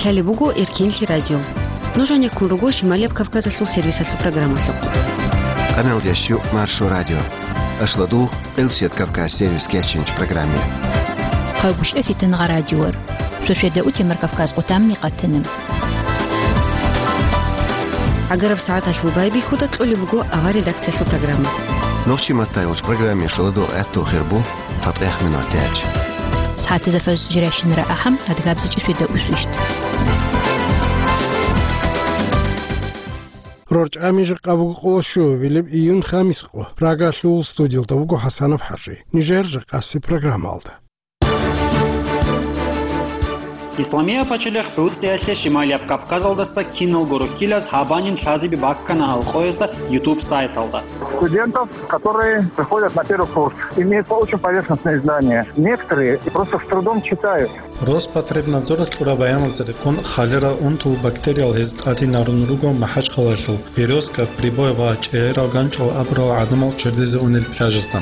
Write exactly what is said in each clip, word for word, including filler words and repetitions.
Гьале буго Эркенлъи радио. Нуж гьанеккун руго Шималияб Кавказалъул сервисалъул программалъухъ. Къамел ящу Маршо радио. Ашладу Элсет Кавказ сервис кечинч программе. Хъагушев Фитнагъа радиор. Шошведа утемар Кавказ къутамни къатана. Агараб сагӀаталъул байбихьуда кьолеб буго авар редакциялъул программа. Нохчи маттайолч программе шоладу гӀатту хирбу цатӀех минут яч. СагӀатазда фаз жиращинара ахӀам адгабзичӀи шведа усвищт. РорчӀами жакъа буго къоло щуабилеб июн хамис къо. Рагалъул студиялда буго ХӀасанов ХӀажи. Нижер жакъаси программалда. Исламия пачалихъ ГӀуцӀиялъе Шималияб Кавказалдаса киналго рухьилаз гьабанин лъазеби баккана Алкъоязда YouTube сайталда. Студентов, которые приходят на первый курс, имеется очень поверхностное знание. Некоторые просто с трудом читают. Роспотребнадзоралъ кьураб баяналда рекъон, халера унтул бактериял гьез тӀадинарун руго МахӀачхъалаялъул Березка, Прибой ва ЧӀегӀерал ганчӀал абурал гӀадамал чердезе унел пляжазда.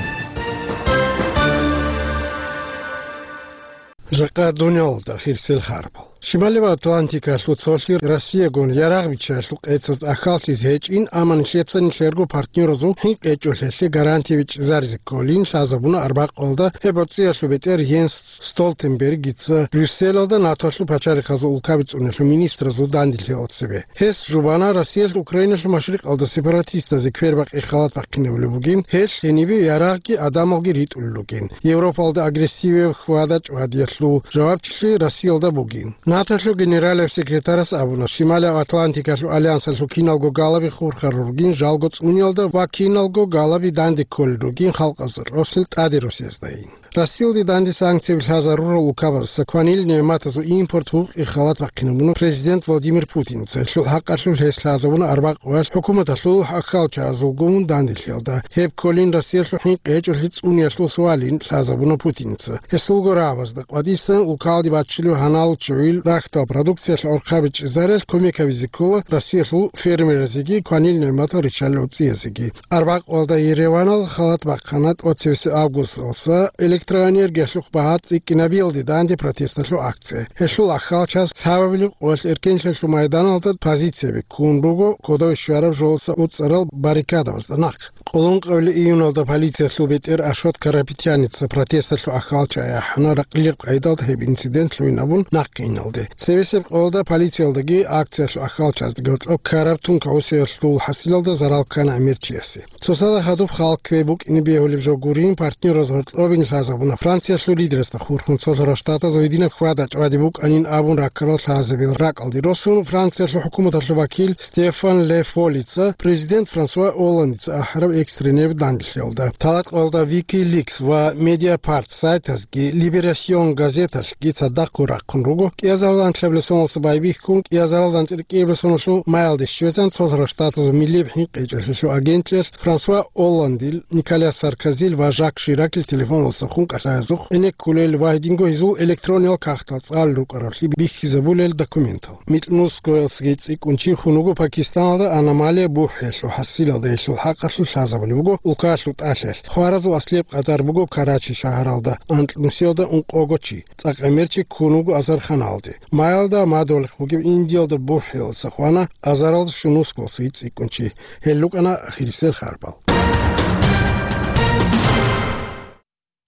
Жакъа дуниялалда хирсел харбал. Шималив Атлантикалъул цолъи Россиягун ярагъ биччаялъул къецазда ахьаллъизе гьечӀин, амма нилъеца нилъерго партнеразул хӀинкъи гьечӀолъиялъе гарантия бичӀчӀизаризе кколин лъазабуна арбякъалда гьеб гӀуцӀиялъул бетӀер Йенс Столтенбергица Брюсселалда НАТОлъул пачалихъазул улкаби цӀуниялъул министразул данделъиялда цебе. Гьес жубана, Россиялъ Украиналъул машрикъалда сепаратистазе квербакъи халат бахъинабулеб бугин, гьелъ гьенибе ярагъги гӀадамалги ритӀулел ругин. Европалда агрессивияб хьвада-чӀвадиялъул жавабчилъи Россиялда бугин. НАТОлъул генералияб секретарас абуна, Шималияб Атлантикалъул альянсалъул киналго галаби хурхарал ругин, жалго цӀуниялда ва киналго галаби данде кколел ругин халкъазда кьосел тӀаде росияздаин. Россиялде данде санкцияби лъазарурал улкабаздаса кванил нигӀматазул импорт гьукъи халат бахъинабуна президент Владимир Путинца. Гьелъул хӀакъалъулъ гьес лъазабуна арбякъоялъ хӀукуматалъул ахьалчагӀазулгун данделъиялда. Гьеб кколин Россиялъул хӀинкъи гьечӀолъи цӀуниялъул суалин лъазабуна Путинца. Гьесулго рагӀабазда къватӀисан улкалде баччулев гьанал чугӀил рахьдал продукциялъ гӀорхъаби чӀезариялъ кумек гьабизе ккола Россиялъул фермерзеги кванил нигӀматал риччалел гӀуцӀиязеги. Арбякъалда Ереванал халат бахъана тӀоцевесеб августалъа электроэнергиялъухъ багьа цӀикӀкӀинабиялде данде протесталъул акция. Гьелъул ахьалчагӀаз лъабабилеб къоялъ Эркенлъиялъул майданалда позицияби ккун руго кодове щвараб жолаца уцӀарал баррикадабазда нахъ. Къоло ункъабилеб июналда полициялъул бетӀер Ашот Карапетяница протесталъул ахьалчагӀи ахӀана, ракълилеб къайдалда гьеб инцидент лъугӀин абун нахъе иналде. Цевесеб къоялда полициялдаги акциялъул ахьалчагӀаздаги гьоркьоб ккараб тункагӀусиялъул хӀасилалда зарал ккана гӀемер чиясе. Цоцазда хадуб халкъ кквей букӀине бегьулеб жо гурин, партнераз гьоркьобин лъазабуна. Франциялъул лидерасда хурхун цолъарал штатазул гьединаб хьвада-чӀвади букӀанин абун раккарал лъазабил ракӀалде росун, Франциялъул хӀукуматалъул вакил Стефан Ле Фолица президент Франсуа Олландица ахӀараб экстренеб данделъиялда. Талакьалда Wikileaks ва Mediapart сайтазги, Libération газеталъги цадахъго рахъун руго, кӀиазарилан анлъабилеб соналъ байбихьун, кӀиазарилан анцӀила кӀиабилеб соналъул маялде щвезан, цолъарал штатазул милияб хӀинкъи гьечӀолъиялъул агентлъиялъ Франсуа Олландил, Николя Саркозил ва Жак Ширакил телефоналдаса хун кӀалъаязухъ гӀенеккулел ва гьединго гьезул электрониял кагътал цӀалел рукӀаравлъи бихьизабулел документал. Микьнусгоялдасаги цӀикӀкӀун чи хун вуго Пакистаналда аномалия бухӀиялъул хӀасилалда, гьелъул хӀакъалъулъ лъазабулеб буго улкаялъул тӀалъаялъ. Хваразул аслияб къадар буго Карачи шагьаралда, анкьнусиялда ункъого чи. ЦӀакъ гӀемер чи ккун вуго азарханалде. Майялда мадугьалихъ бугеб Индиялда бухӀиялдаса хвана азаралда щунусгоялдасаги цӀикӀкӀун чи. Гьел рукӀана ахирисел харбал.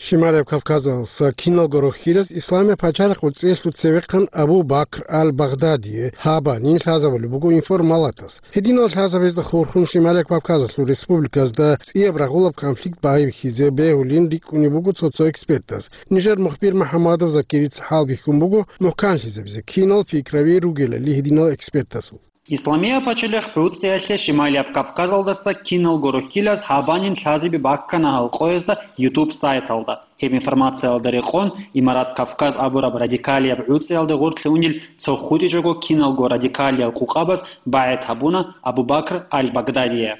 Шималияб Кавказалдаса киналго рохьилаз Исламияб пачалихъ гӀуцӀиялъул цевехъан Абу Бакр аль-Багъдадие гьабанин лъазабулеб буго информалатас. Гьединал лъазабазда хурхун Шималияб Кавказалъул республиказда цӀияб рагъулаб конфликт байбихьизе бегьулин рикӀкӀунеб буго цо-цо экспертаз. Нижер мухбир МухӀаммадов Закирица хӀалбихьун буго мухӀканлъизабизе кинал пикраби ругелали гьединал экспертазул. Исламияб пачалихъ гӀуцӀиялъе Шималияб Кавказалдаса киналго рохьилаз гьабанин лъазеби баккана Алкъоязда YouTube сайталда. Гьеб информациялда рекъон, Имарат Кавказ абураб радикалияб гӀуцӀиялде гъоркье унел цо хутӀичӀого киналго радикалиял къукъабаз багӀет гьабуна Абу Бакр аль-Багдадие.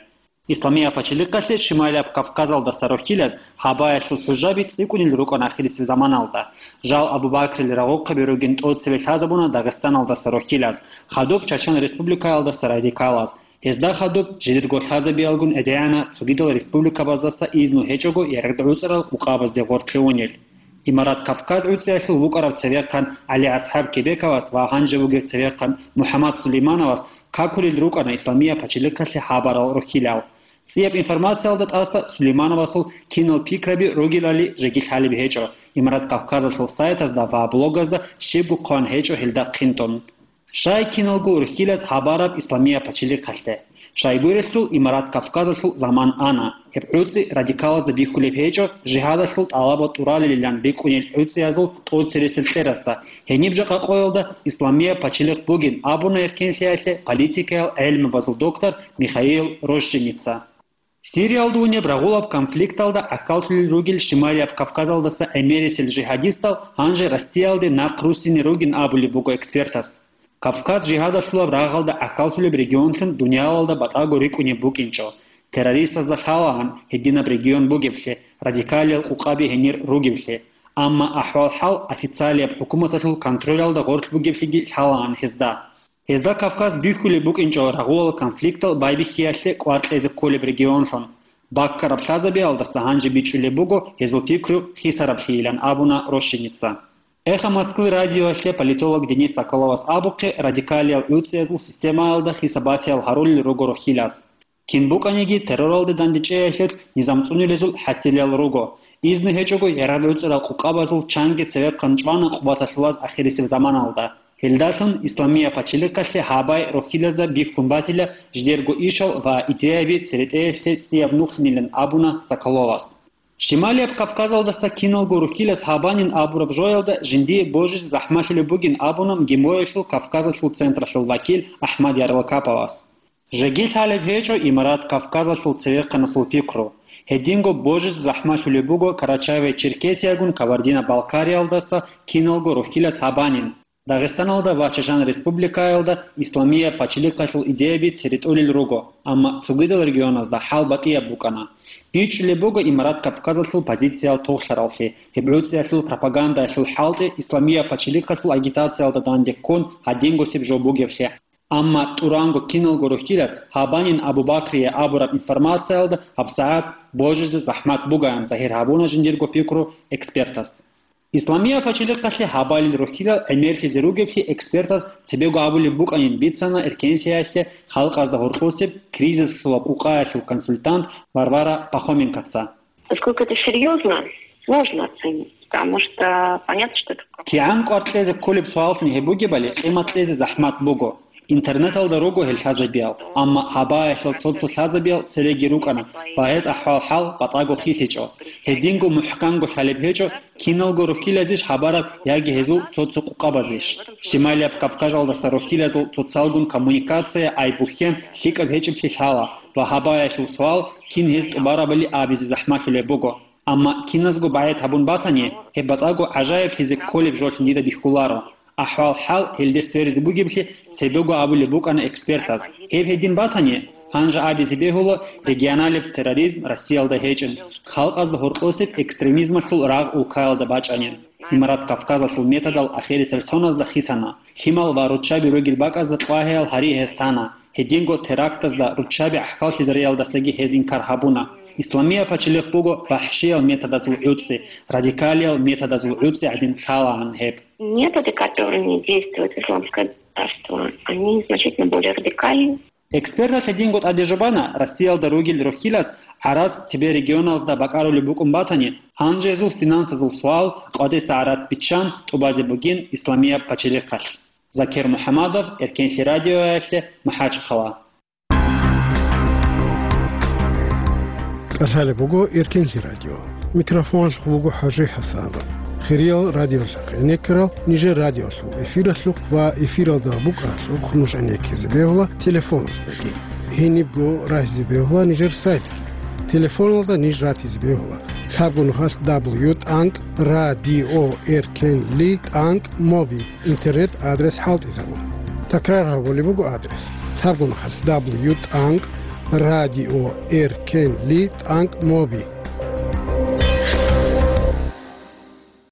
Исламияб пачалихъалъе Шималияб Кавказалдаса рохьилаз гьабаялъул хӀужаби цӀикӀкӀунел рукӀана ахирисеб заманалда. Жал Абу Бакрил рагъухъаби ругин тӀоцеве лъазабуна Дагъистаналдаса рохьилаз, хадуб Чачан Республикаялдаса радикалаз. Гьезда хадуб жидерго лъазабиялгун гӀедегӀана цогидал республикабаздаса изну гьечӀого ярагъ гӀуцӀарал къукъабазде гъоркье унел. Имарат Кавказ гӀуцӀиялъул вукӀарав цевехъан ГӀали-АсхӀаб Кебековас ва гьанже вугев цевехъан МухӀаммад Сулеймановас какулел рукӀана Исламияб пачалихъалъе хабарал рохьилал. ЦӀияб информациялда тӀаса Сулеймановасул кинал пикраби ругелали жеги лъалеб гьечӀо, Имарат Кавказалъул сайтазда ва блогазда щибго хъван гьечӀо гьелда хъинтӀун. Щай киналго урхьилаз гьабараб Исламияб пачалихъалъе? Щайгурелъул Имарат Кавказалъул заман ана. Гьеб гӀуцӀи радикалазда бихьулеб гьечӀо, жигьадалъул тӀалабал тӀуралилилан рикӀкӀунел гӀуцӀиязул тӀоцересел кьерасда. Гьениб жакъа къоялда Исламияб пачалихъ бугин абуна эркенлъиялъе политикаял гӀелмабазул доктор Михаил Рощиница. Сириялда унеб рагъулаб конфликталда гӀахьаллъулел ругел Шималияб Кавказалдаса гӀемерисел жигьадистал гьанже Россиялде нахъ руссине ругин абулеб буго экспертас. Кавказ жигьадалъулаб рагъалда гӀахьаллъулеб регионлъун дуниялалда батӀаго рикӀкӀунеб букӀинчӀо, террористазда лъалаан гьединаб регион бугеблъи, радикалиял къукъаби гьенир ругеблъи, амма ахӀвал-хӀал официалияб хӀукуматалъул контролялда гъорлъ бугеблъиги лъалаан гьезда. Гьезда Кавказ бихьулеб букӀинчӀо рагъулал конфликтал байбихьиялъе кӀвар кьезе кколеб регионлъун. Баккараб лъазабиялдаса гьанже бичӀчӀулеб буго гьезул пикру хисараблъийилан абуна Рощиница. Эхо Москвы радиоялъе политолог Денис Соколовас абухъе, радикалиял гӀуцӀиязул системаялда хисабасиял гьарулел руго рохьилаз. Кин букӀаниги терроралде дандечӀеялъул низам цӀунулезул хӀасилиял руго. Изну гьечӀого ярагъ гӀуцӀарал къукъабазул чанги цевехъан чӀвана къуваталъулаз ахирисеб заманалда. Гьелдалъун Исламияб пачалихъалъе гьабай рохьилазда бихьун батила жидерго ишал ва идеяби церетӀеялъе цӀияб нухинилан абуна Соколовас. Шималияб Кавказалдаса киналго рухьилас гьабанин абураб жоялда жиндие божизе захӀмалъулеб бугин абуна МГИМО-ялъул Кавказалъул централъул вакил АхӀмад Ярлакаповас. Жеги лъалеб гьечӀо Имарат Кавказалъул цевехъанасул пикру. Гьединго божизе захӀмалъулеб буго Карачаево-Черкесиягун Кабардино-Балкариялдаса киналго рухьилас гьабанин. Дагъистаналда ва Чачан Республикаялда Исламияб пачалихъалъул идеяби церетӀулел руго, амма цогидал регионазда хӀал батӀияб букӀана. БичӀчӀулеб буго Имарат Кавказалъул позициял тохлъараллъи, гьеб гӀуцӀиялъул пропагандаялъул хӀалтӀи Исламияб пачалихъалъул агитациялда данде ккун гьадингосеб жо бугеблъи. Амма тӀуранго киналго рухьилас гьабанин Абу-Бакрие абураб информациялда гьабсагӀат божизе захӀмат бугоян загьир гьабуна жиндирго пикру экспертас. Исламияб пачалихъалъе гьабалел рухьилал гӀемерлъизе ругеблъи экспертаз цебего абулеб букӀанин бицана эркенлъиялъе халкъазда гьоркьосеб кризислъула къукъаялъул консультант Варвара Пахоменкоца. Поскольку это серьёзно, сложно оценить, потому что понятно, что это... КигӀан кӀвар кьезе кколеб суаллъун гьеб бугебали къимат кьезе захӀмат буго. Интернеталда руго гьел лъазабиял, амма гьабаялъул цо-цо лъазабиял цереги рукӀана ва гьез ахӀвал-хӀал батӀаго хисичӀо. Гьединго мухӀканго лъалеб гьечӀо, киналго рухьилазищ гьабараб яги гьезул цо-цо къукъабазищ. Шималияб Кавказалдаса рухьилазул цоцалгун коммуникация, ай-бухьен лъикӀаб гьечӀеблъи лъала ва гьабаялъул суал кин гьез тӀубарабали абизе захӀмалъулеб буго. Амма киназго багӀед гьабун батани, гьеб батӀаго гӀажаиблъизе кколеб жолъин дида бихьуларо. АхӀвал-хӀал гьелде сверизе бугеблъи цебего абулеб букӀана экспертаз. Гьеб гьедин батани, гьанже абизе бегьула регионалеб терроризм Россиялда гьечӀин, халкъазда гьоркьосеб экстремизмалъул рагъ улкаялда бачӀанин. Имарат Кавказалъул методал ахирисел соназда хисана, лъимал ва руччаби ругел бакӀазда тӀлагьеял гьари гьез тана. Гьединго терактазда руччаби гӀахьаллъизариялдасаги гьез инкар гьабуна. Исламияб пачалихъ буго вахӀшиял методазул гӀуцӀи, радикалиял методазул гӀуцӀи гӀадин лъалаан гьеб. Методы, которыми действует исламское государство, они значительно более радикальны. Экспертас гьединго тӀаде жубана, Россиялда ругел рухьилаз гӀарац цебе регионалзда бакӀарулеб букӀун батани, гьанже гьезул финансазул суал къватӀиса гӀарац биччан тӀубазе бугин Исламияб пачалихъалъ. Закир МухӀамадов, Эркенлъи радиоялъе, МахӀачхъала. КӀалъалеб буго Эркенлъи радио. Микрофоналъухъ буго ХӀажи ХӀасанов. Хириял радиолъахъ гӀенеккарал нижер радиолъул эфиралъухъ ва эфиралда букӀаралъухъ нуж гӀенеккизе бегьула телефоназдаги. Гьенибго рагьизе бегьула нижер сайтги. Телефоналда ниж ратизе бегьула лъабго нухалъ дабл ю тӀанкӀ радио эркенли тӀанкӀ моби интернет адрес хӀалтӀизабун. Такрар гьабулеб буго адрес: лъабго нухалъ дабл ю тӀанкӀ радио эркенли тӀанкӀ моби.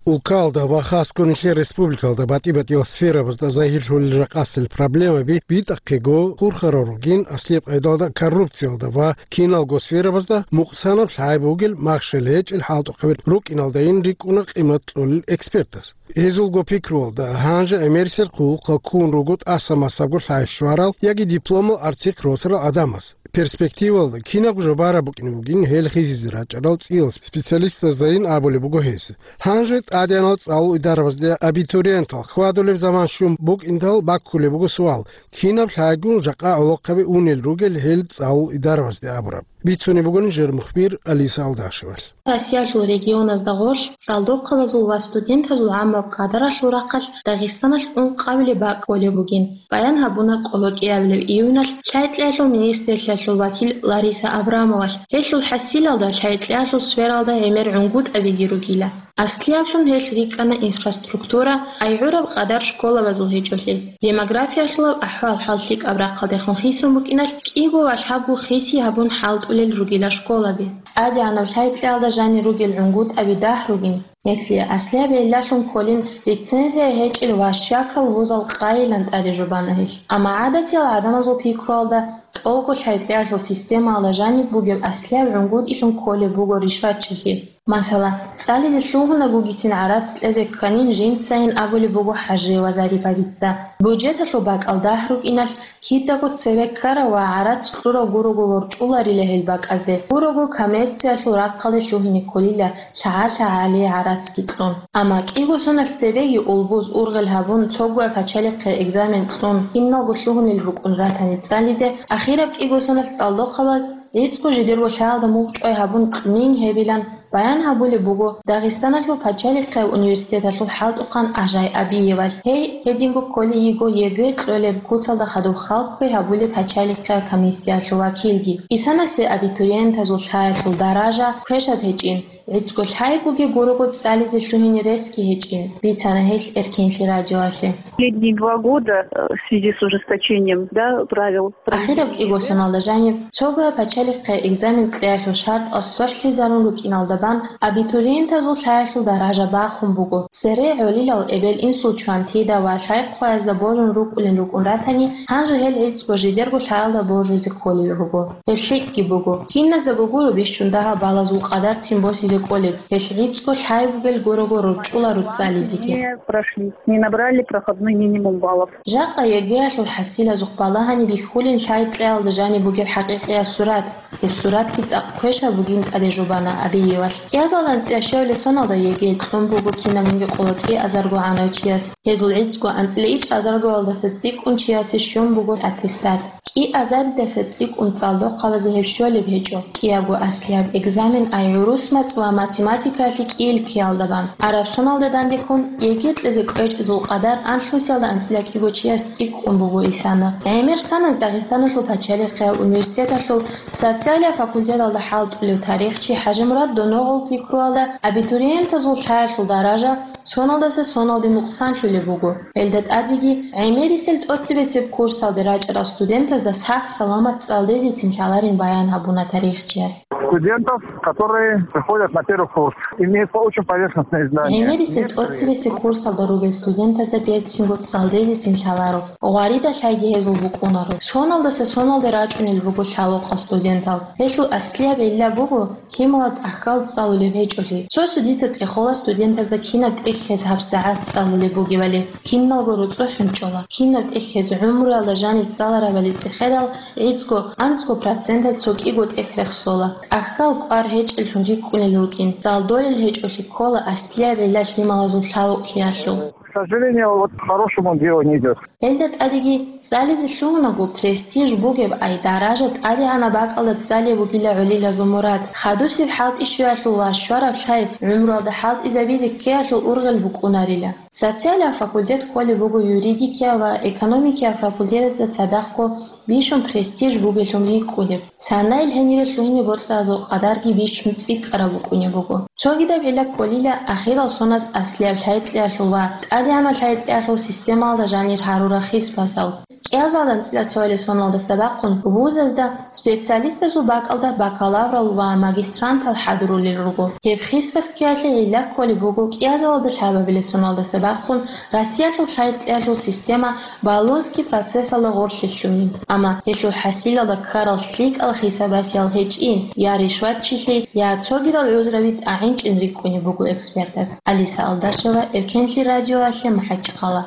Улкалда ва хасго нилъер республикалда батӀи-батӀиял сферабазда загьирлъулел ракъасел проблемаби битӀахъего хурхарал ругин, аслияб къайдалда коррупциялда ва киналго сферабазда мукъсанаб лъай бугел махщел гьечӀел хӀалтӀухъабил рукӀиналдайин рикӀкӀуна къимат кьолел экспертаз. Гьезулго пикруялда, гьанже гӀемерисел хъулухъа ккун руго тӀаса-масабго лъай щварал яги дипломал арцихъ росарал гӀадамаз. Перспективалда кинабго жо бараб букӀине бугин гьел хисизе рачӀарал цӀиял специалистаздайин абулеб буго гьес. Гьанже тӀадегӀанал цӀалул идарабазде абитуриентал хьвадулеб заман щун букӀиндал баккулеб буго суал, кинаб лъайгун жакъа гӀолохъаби унел ругел гьел цӀалул идарабазде абураб. Бицунеб буго нижер мухбир Алиса Алдашевалъ. Россиялъул регионазда гъорлъ цӀалдохъабазул ва студентазул гӀаммаб къадаралъул рахъалъ Дагъистаналъ ункъабилеб бакӀ кколеб бугин. Баян гьабуна къоло кӀиабилеб июналъ лъай-кьеялъул министрлъиялъул вакил Лариса Абрамовалъ. Гьелъул хӀасилалда лъай-кьеялъул сфералда гӀемер гӀунгутӀабиги ругила. Аслияблъун гьелъ рикӀкӀана инфраструктура, ай гӀураб къадар школабазул гьечӀолъи. Демографиялъулаб ахӀвал-хӀал лъикӀаб рахъалдехун хисун букӀиналъ, кӀиго ва лъабго хиси гьабун хӀалтӀулел ругила школаби. ТӀадегӀанаб лъай-кьеялда жанир ругел гӀунгутӀаби дагь ругин. Гьелъие аслияб гӀиллалъун кколин лицензия гьечӀел ва щакал вузал къайилан тӀаде жубана гьелъ. Амма гӀадатиял гӀадамазул пикруялда тӀолго лъай-кьеялъул системаялда жаниб бугеб аслияб гӀунгутӀилъун кколеб буго ришватчилъи. Масала, цӀализе лъугьунагугицин гӀарац кьезе кканин жинцайин абулеб буго ХӀажиева Зарипабица. Буджеталъул бакӀал дагь рукӀиналъ, кидаго цеве ккарав ва гӀарац кьурав гурого ворчӀуларила гьел бакӀазде, гурого коммерциялъул рахъалде лъугьине кколила лъагӀа-лъагӀалие гӀарацги кьун. Амма кӀиго соналъ цебеги улбуз ургъел гьабун, цогояб пачалихъе экзамен кьун, киналго лъугьунел рукӀун ратани цӀализе, ахираб кӀиго соналъ цӀалдохъабаз гӀицӀго жидерго лъаялда мугъчӀвай гьабун кьунин гьебилан баян гьабулеб буго Дагъистаналъул пачалихъияб университеталъул хӀалтӀухъан Ажай Абиевалъ. Гьей гьединго кколей йиго ЕГЭ кьолеб куцалда хадуб халкъги гьабулеб пачалихъияб комиссиялъул вакилги. Исанасе абитуриентазул лъаялъул даража квешаб гьечӀин, гӀицӀго лъай бугеб гурого цӀализе лъугьине ресги гьечӀин, бицана гьелъ Эркенлъи радиоялъе. Последние два года, э, в связи с ужесточением, да, правил Ахираб кӀиго соналда жаниб, цогояб пачалихъе экзамен кьеялъул шартӀал сохӀлъизарун рукӀиналда бан, абитуриентазул лъаялъул даража бахун буго. Цере гӀолилал эбел-инсул чвантида ва лъай-хъваязда божун рукӀулин рукӀун ратани, гьанже гьел гӀицӀго жидерго лъаялда божизе кколел руго. Гьеб лъикӀги буго. Киназдаго гуро бищун дагьаб балазул къадарцин босизе кӀолеб, гьелъ гӀицӀго лъай бугел гурого рорчӀула руцӀцӀализеги. Не прошли, не набрали проходной минимум баллов. Жакъа ЕГЭ-ялъул хӀасилазухъ балагьани бихьулин лъай-кьеялда жаниб бугеб хӀакъикъияб сурат. Гьеб суратги цӀакъ квешаб бугин тӀаде жубана Абиевалъ. КӀиазалда анцӀила щевле соналда ЕГЭ кьун буго кинабниги къоло кӀиазарго гӀанав чияс. Гьезул гӀицӀго анцӀила ичӀазаргоялдаса цӀикӀкӀун чиясе щун буго аттестат. КӀиазаридаса цӀикӀкӀун цӀалдохъабазе гьеб щолеб гьечӀо, кӀиябго аслияб экзамен ай гӀурус мацӀ ва математикаялъе кӀиил ккеялда бан. Араб соналда дандеккун, ЕГЭ кьезе кӀвечӀезул къадар анлънусиялда анцӀила кӀиго чияс цӀикӀкӀун буго исана. ГӀемер саназ Дагъистаналъул пачалихъияб университеталъул социалияб факультеталда хӀалтӀулев тарихчи ХӀажимурад Доногъов пикруялда, абитуриентазул лъаялъул даража соналдаса соналде мукъсанлъулеб буго. Гьелда тӀадеги гӀемерисел тӀоцебесеб курсалде рачӀарал студентазда сах-саламат цӀалдезецин лъаларин баян гьабуна тарихчияс. Студентов, которые приходят на первый курс, имеют очень поверхностные знания. ГӀемерисел тӀоцебесеб курсалда ругел студентазда берцинго цӀалдезецин лъаларо. Гъваридалъайги гьезул букӀунаро. Соналдаса соналде рачӀунел руго лъалокъал студентал. Гьелъул аслияб гӀилла буго, кималат ахкал цӀалулеб гьечӀолъи. Цо-цо дица цӀехола студентазда кинаб тӀехь гьез гьабсагӀат цӀалулеб бугебали. Киналго руцӀцӀухӀун чӀола. Кинаб тӀехь гьез гӀумруялда жаниб цӀаларабали цӀехедал, гӀицӀго, анцӀго проценталъ цо кӀиго тӀехь рехсола. Ахкал кӀвар гьечӀеллъун рикӀкӀунел рукӀин, цӀалдолел гьечӀолъи ккола аслияб гӀилла лъималазул лъалукъиялъул. К сожалению, вот к хорошему делу не идёт. Гьелда тӀадеги цӀализе лъугьунаго престиж бугеб ай даража тӀадегӀанаб бакӀалда цӀалеб бугила гӀолилазул мурад. Хадусеб хӀалтӀи щвеялъул ва щвараб лъай гӀумруялда хӀалтӀизабизе ккеялъул ургъел букӀунарила. Социалияб факультет кколеб буго юридикияб ва экономикияб факультетазда цадахъго бищун престиж бугеллъун рикӀкӀунеб. Санаил гьенире лъугьине бокьаразул къадарги бищун цӀикӀкӀараб букӀунеб буго. Цогидаб гӀилла кколила ахирал соназ аслияб лъай-кьеялъул ва тӀадегӀанаб лъай-кьеялъул системалда жанир гьарурал хисбазал. КӀиазалда анцӀила цоялил соналдаса бахъун вузазда специалистазул бакӀалда бакалаврал ва магистрантал хӀадурулел руго. Гьеб хисбас ккеялъе гӀилла кколеб буго кӀиазалда лъабабилеб соналдаса бахъун Россиялъул лъай-кьеялъул система Болонский процессалда гъорлъе лъугьин, амма гьелъул хӀасилалда ккарал лъикӀал хисабасиял гьечӀин, я ришватчилъи, я цогидал гӀузраби тӀагӀинчӀин рикӀкӀунеб буго экспертас. Алиса Алдашева, Эркенлъи радиоялъе, МахӀачхъала.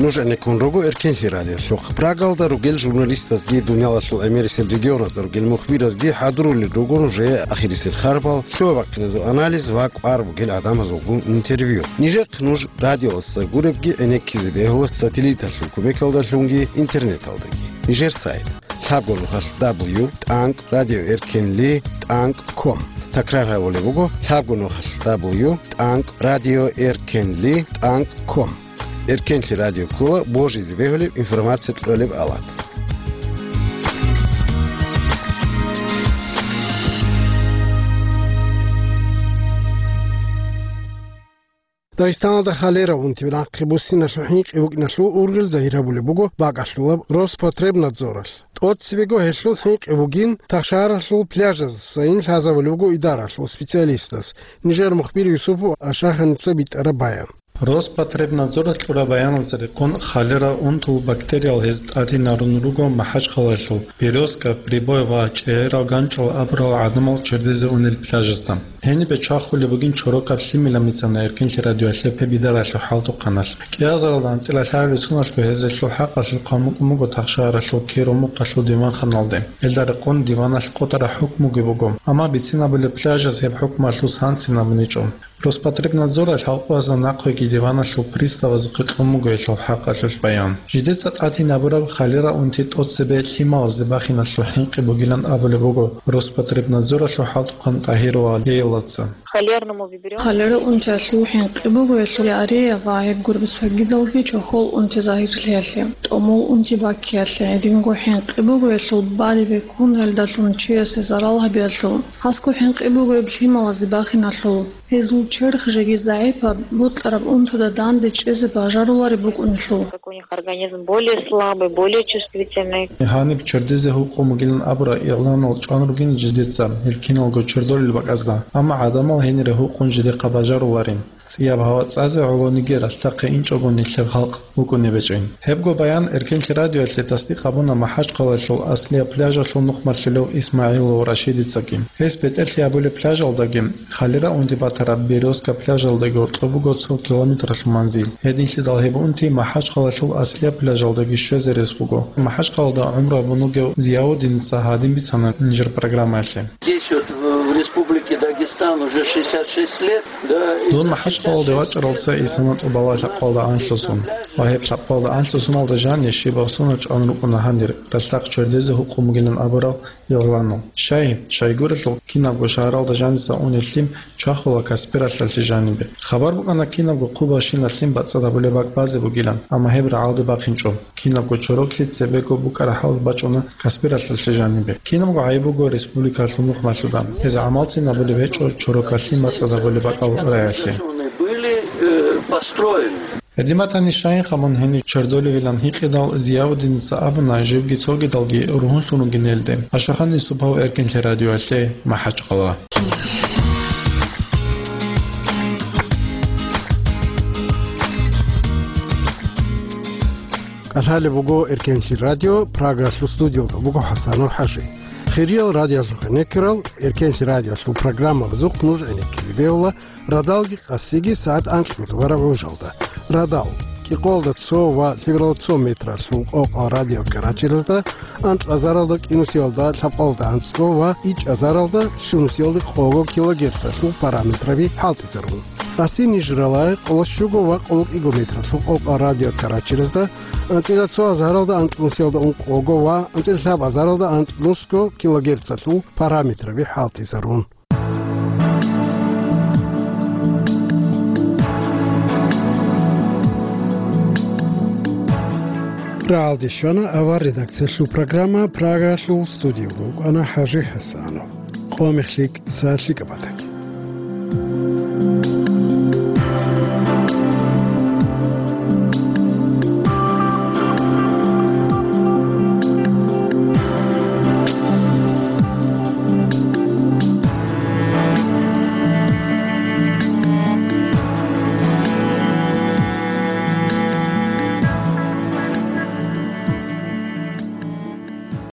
Нуж гӀенеккун руго Эркенлъи радиолъухъ. Прагалда ругел журналистазги, дуниялалъул гӀемерисел регионазда ругел мухбиразги хӀадурулел руго нужее ахирисел харбал, лъугьа-бахъиназул анализ ва кӀвар бугел гӀадамазулгун интервью. Нижехъ нуж радиоялдаса гуребги гӀенеккизе бегьула сателлиталъул кумекалдалъунги интернеталдаги. Нижер сайт: лъабго нухалъ дабл ю тӀанкӀ радиоэркенли тӀанкӀ ком. Такрар гьабулеб буго: лъабго нухалъ дабл ю тӀанкӀ радиоэркенли тӀанкӀ ком. Эркенлъи радио ккола божизе бегьулеб информация кьолеб алат. Дагъистаналда холера унти нахъе буссиналъул хӀинкъи букӀиналъул ургъел загьир гьабулеб буго бакӀалъулаб Роспотребнадзоралъ. ТӀоцебего гьелъул хӀинкъи бугин тахшагьаралъул пляжаздасайин лъазабулеб буго идаралъул специалистаз. Нижер мухбир Юсупов Ашаханица битӀараб баян. Роспотребнадзоралъ кьураб баяналда рекъон, холера унтул бактериял гьез тӀадинарун руго МахӀачхъалаялъул Березка, Прибой ва ЧӀегӀерал ГанчӀал абурал гӀадамал чердезе унел пляжазда. Гьенибе чвахулеб бугин чорокаб лъимилан бицана Эркенлъи радиоялъе гьеб идаралъул хӀалтӀухъаналъ. КӀиазаралда анцӀила лъаралил соналъго гьез гьелъул хӀакъалъулъ хъван букӀун буго тахшагьаралъул Киро мухъалъул диванханалде. Гьелда рекъон диваналъ къотӀараб хӀукмуги буго, амма бицинабулеб пляжаз гьеб хӀукмуялъул санлъи абуничӀо. Роспотребнадзоралъ халкъазда нахъеги диваналъул приставазухъе кьун буго гьелъул хӀакъалъулъ баян. Жидеца тӀадинабураб холера унти тӀоцебе лъималазде бахиналъул хӀинкъи бугилан абулеб буго Роспотребнадзоралъул хӀалтӀухъан ТӀагьирова Лейлаца. Холерному вибрион. Холера унтиялъул хӀинкъи буго гьелъул диарея ва гьеб гуреб цогидалги чохьол унти загьирлъиялъе, тӀомол унти баккиялъе. Гьединго хӀинкъи буго гьелъул балеб бекун, гьелдалъун чиясе зарал гьабиялъул. Хасго хӀинкъи буго гьеб лъималазде бахиналъул. Гьезул черх жеги загӀипаб, бокьараб унтуда данде чӀезе бажарулареб букӀунелъул. Как у них организм более слабый, более чувствительный. Гьаниб чердезе гьукъун бугилан абураб игъланал чӀван ругин жидеца гьел киналго чердолел бакӀазда, амма гӀадамал гьенире гьукъун жидехъа бажаруларин. ЦӀияб гьава цӀазе гӀолониги ралъдахъе инчӀого нилъер халкъ букӀунеб гьечӀин. Гьебго баян Эркенлъи радиоялъе тасдикъ гьабуна МахӀачхъалаялъул аслияб пляжалъул нухмалъулев ИсмагӀилов Рашидицаги. Гьес бетӀерлъи гьабулеб пляжалдаги, холера унти батараб Березка пляжалдаги гьоркьоб буго цо километралъул манзил. Гьединлъидал гьеб унти МахӀачхъалаялъул аслияб пляжалдаги щвезе рес буго. МахӀачхъалада гӀумру гьабун вугев Зияудиница гьадин бицана нижер программаялъе. Здесь вот в, в Республике Дагестан уже шестьдесят шесть лет, да, и... Дун МахӀачхъалалде вачӀаралдаса исана тӀубала лъабкъалда анлъусун. Ва гьеб лъабкъалда анлъусуналда жанир щибаб соналъ чӀван рукӀуна гьанир, ралъдахъ чердезе гьукъун бугилан абурал игъланал. Щай, щайгурелъул кинабго шагьаралда жаниса унел лъим чвахула Каспиралъалъе жанибе. Хабар букӀана кинабго хъубабщинаб лъим бацӀцӀад гьабулеб бакӀ базе бугилан, амма гьеб рагӀалде бахинчӀо. Кинабго чорок лъи цебего букӀараб хӀал бачӀуна Каспиралъалъе жанибе. Кинабго гӀайиб буго республикалъул нухмалъуда. Гьез гӀамалцин абулеб гьечӀо чорок лъи бацӀцӀад гьабулеб бакӀал раялъе. Были, э, построены. Гьедин батани, щайин хъамун гьенив чердолевилан гьикъидал, Зияудиница абуна, живги цогидалги ругьунлъун ругин гьелде. Ашахан Юсупов, Эркенлъи радиоялъе, МахӀачхъала. КӀалъалеб буго Эркенлъи радио, Прагалъул студиялда буго ХӀасанов ХӀажи. Хириял радиоялъухъе некерал, Эркенлъи радиоялъул программабазухъ нуж гӀенеккизе бегьула радалги къасиги сагӀат анкьго дугараб гӀужалда. Радал, кӀикъоялда цо ва лъебералда цо метралъул къокъал радиокаратеразда, анкьазаралда кӀинусиялда лъабкъоялда анцӀго ва ичӀазаралда щунусиялда къого килогерцалъул параметраби хӀалтӀизарун. Къаси ниж рала къоло щуго ва къоло кӀиго метралъул къокъал радиокаратеразда, анцӀила цо азаралда анкьнусиялда ункъого ва анцӀила лъаб азаралда анкьнусго килогерцалъул параметраби хӀалтӀизарун. Рагьалде щвана авар редакциялъул программа, Прагалъул студиялда вукӀана ХӀажи ХӀасанов. Къо мех лъикӀ, сагӀат лъикӀаб батаги.